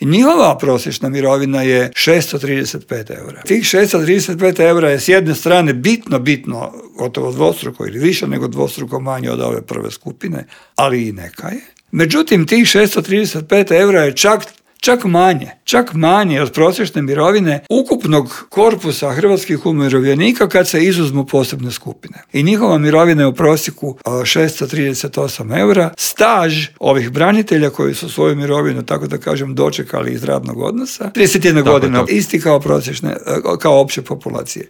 I njihova prosječna mirovina je 635 eura. Tih 635 eura je s jedne strane bitno, gotovo dvostruko ili više nego dvostruko manje od ove prve skupine, ali i neka je. Međutim, tih 635 eura je čak manje od prosječne mirovine ukupnog korpusa hrvatskih umirovljenika kad se izuzmu posebne skupine. I njihova mirovina je u prosjeku 638 eura. Staž ovih branitelja koji su svoju mirovinu, tako da kažem, dočekali iz radnog odnosa, 31 godina, isti kao prosječne, kao opće populacije.